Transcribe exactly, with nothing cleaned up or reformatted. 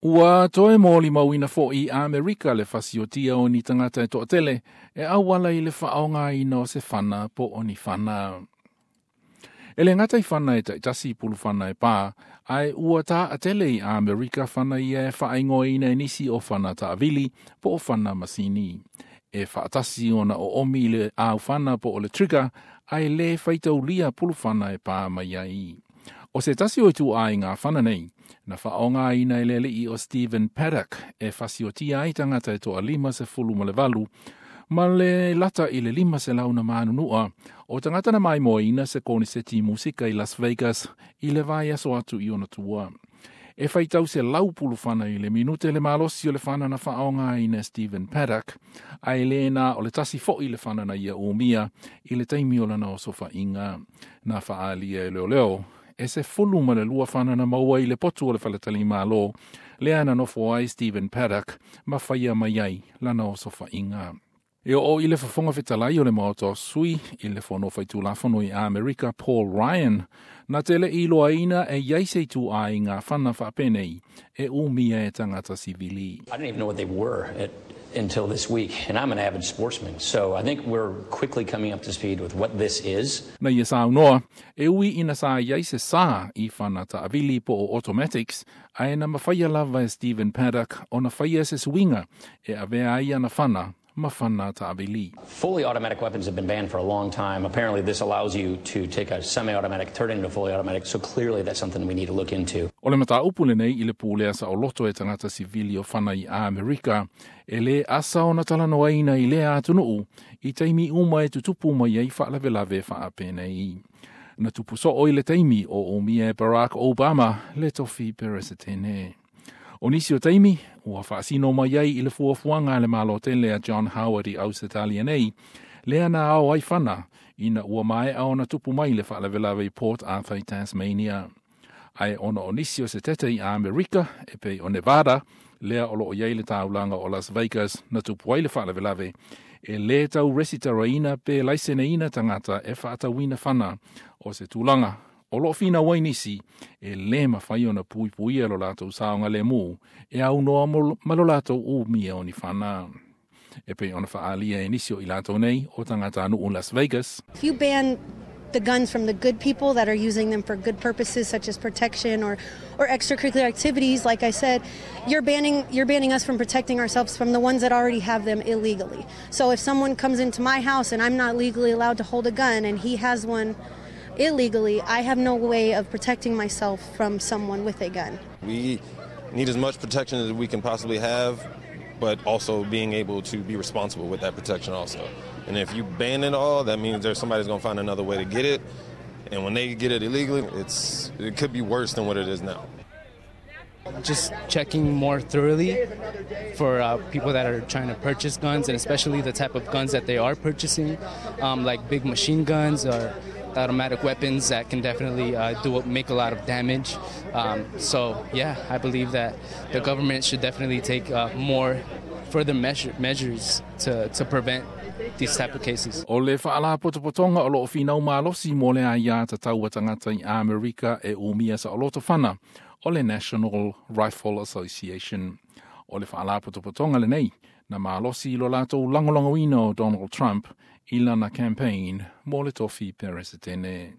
Ua toe molimauina fo'i i Amerika le fasiotia o ni tagata e to'atele e auala i le fa'aaogāina o se fana po o ni fana. E le gata i fana e ta'itasi pulufana e pā, ae ua ta'atele i Amerika fana ia e fa'aigoaina e nisi o fana ta'avili po o fana masini. E fa'atasi ona o'omi i le aufana po o le trigger, ae lē faitaulia pulufana e pā mai ai. O se tasi o ituaiga fana nei, na fa'aaogāina e le ali'i o Stephen Paddock e fasiotia ai tagata e to'alima sefulu ma le valu, ma le lata i le lima selau na manunu'a o tagata na maimoaina se koniseti musika i Las Vegas i le vaiaso atu i ona tua. E faitau selau pulufana i le minute le malosi o le fana na fa'aaogāina Stephen Paddock, ae lē na o le tasi fo'i le fana na ia umia i le taimi o lana osofa'iga. Na fa'alia e leoleo, e sefulu ma le lua fana na maua i le potu o le faletalimālō, lea na nofo ai Stephen Paddock ma faia mai ai lana osofa'iga. E o i le fofoga fetalai o le maota o sui i le fono faitulafono i Amerika Paul Ryan, na te le iloaina e iai se ituaiga fana faapenei e umia e tagata sivili. I didn't even know what they were at, until this week, and I'm an avid sportsman, so I think we're quickly coming up to speed with what this is. Na ia saunoa, e ui ina sa iai se sā i fana ta'avili po o automatics, ae na mafaia lava e Stephen Paddock ona faia se suiga e avea ai ana fana ma fana ta'avili. Fully automatic weapons have been banned for a long time. Apparently, this allows you to take a semi-automatic, turn it into fully automatic, so clearly that's something we need to look into. O le mataupu lenei i le pulea sa'oloto e tagata sivili o fana i Amerika, e lē asa ona talanoaina i lea atunu'u i taimi uma e tutupu mai ai fa'alavelave fa'apenei. Na tupu so'o i le taimi o umia e Barack Obama le tofi peresetene. O nisi o taimi, ua fa'asino mai ai i le fuafuaga a le Malo tele a John Howard i Ausetalia nei, lea na ao ai fana ina ua mae'a ona tupu mai le fa'alavelave i Port Arthur i Tasmania. Ae ona o nisi o setete i Amerika e pei o Nevada, lea o lo'o iai le taulaga o Las Vegas na tupu ai le fa'alavelave, e lē tau resitaraina pe laiseneina tagata e fa'atauina fana o se tulaga o lo'o finau ai nisi e lē mafai ona puipuia lo latou saogalēmū e aunoa ma lo latou umia o ni fana. E pei ona fa'alia e nisi o i latou nei o tagatanu'u Las Vegas. If you ban the guns from the good people that are using them for good purposes such as protection or, or extracurricular activities, like I said, you're banning, you're banning us from protecting ourselves from the ones that already have them illegally. So if someone comes into my house and I'm not legally allowed to hold a gun and he has one illegally, I have no way of protecting myself from someone with a gun. We need as much protection as we can possibly have, but also being able to be responsible with that protection also. And if you ban it all, that means there's somebody's going to find another way to get it. And when they get it illegally, it's it could be worse than what it is now. Just checking more thoroughly for uh, people that are trying to purchase guns, and especially the type of guns that they are purchasing, um, like big machine guns or automatic weapons that can definitely uh, do make a lot of damage. Um, so yeah, I believe that the government should definitely take uh, more further measure, measures to, to prevent these type of cases. O le fa'alapotopotoga o lo'o finau malosi mo le aiā tatau a tagata i Amerika e umia sa'oloto fana o le National Rifle Association. O le fa'alapotopotoga lenei na malosi i lo latou lagolagoina o Donald Trump i lana campaign mo le tofi peresetene.